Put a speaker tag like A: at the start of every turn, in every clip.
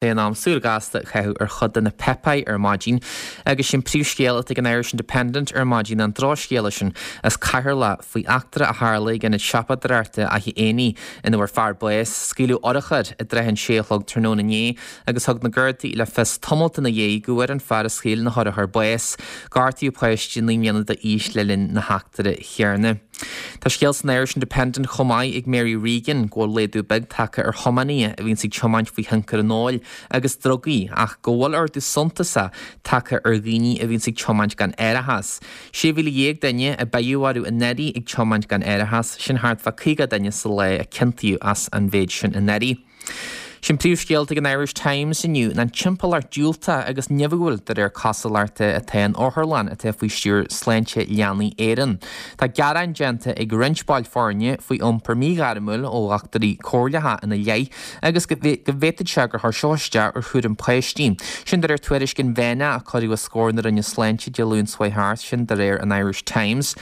A: É in am súil ghasta a chaitheamh ar chuid de na páipéir ar maidin agus sin príomhscéal atá ag an Irish Independent ar maidin, an drochscéala sin as Ceatharlach faoi eachtra a tharla ag ionad siopadóireachta Fhaiche Éanaigh ina bhfuair fear bás. Scaoileadh urchar i dtrátha an sé a chlog tráthnóna inné agus thug na Gardaí le fios tamalt ina dhiaidh go bhfuair an fear a scaoil na hurchair bás. Gortaíodh páiste 9 mbliana d'aois le linn na heachtra chéanna. Tá scéal san Irish Independent chomh maith ag Mary Regan go bhfuil laghdú beag tagtha ar thiománaithe a bhíonns ag tiomáint faoi thionchar an óil agus drugaí ach go bhfuil ardú suntasach tagtha ar dhaoine a bhíonns ag tiomáint gan árachas. 16,000 duine a beidh orthu anuraidh ag tiomáint gan árachas, sin thart fá 50 duine sa lá a ciontaíodh as an mhéid sin anuraidh. Sin príomhscéal ag an Irish Times inniu ná an timpeallacht diúltach agus nimhiúil de réir cosúlachta atá in otharlann atá faoi stiúir Sláinte Leanaí Éireann. Tá gearáin déanta ag roinnt baill foirne faoi iompar míghairmiúil ó dhochtúirí comhairleacha ina leith agus go bhféadfadh sé gur chuir seo isteach ar chúram páistí. Sin de réir tuairisc inmheánach a cuireadh os comhair na Roinne Sláinte Dé Luain seo thart, sin de réir an Irish Times.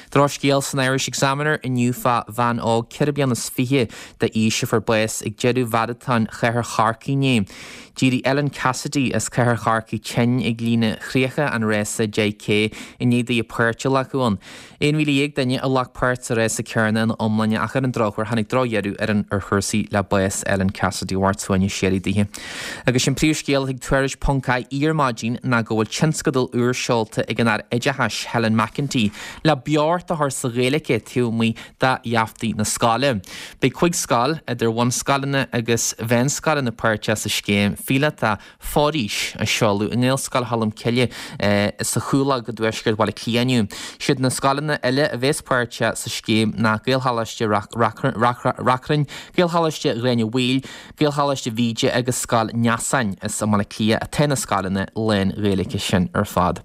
A: Drochscéal san Irish Examiner inniu fá bhean óg 24 bliana d'aois a fuair bás ag deireadh mharatón Chathair Chorcaí inné. D'éirigh Ellen Cassidy as Cathair Chorcaí tinn ag líne chríocha an rása 10K i ndiaidh di páirt a ghlacadh ann. 11,000 duine a ghlac páirt sa rása céanna ina iomláine ach ar an drochuair tháinig drochdheireadh ar an ar chúrsaí le bás Ellen Cassidy Mhairt suaimhneas síoraí daoithe. Agus sin príomhscéal ag Tuairisc ponc ie ar maidin ná go bhfuil tionscadal úr seolta ag an Aire Oideachais Helen McEntee le beocht a chur sa Ghaeilge taobh amuigh de gheaftaí na scoile. Beidh 5 scoil, idir bhunscoileanna agus mheánscoileanna páirteach sa scéim phíolótach Foraois a seoladh i nGaelscoil Cholmcille sa Chualag i dtuaisceart Bhaile Átha Cliath inniu. Siad na scoileanna eile a bheas páirteach sa scéim ná Gaelcholáiste Reachrann, Gaelcholáiste Ghráinne Mhaoil, Gaelcholáiste Mhíde agus Scoil Neasáin. Is i mBaile Átha Cliath atá na scoileanna lán-Ghaeilge sin ar fad.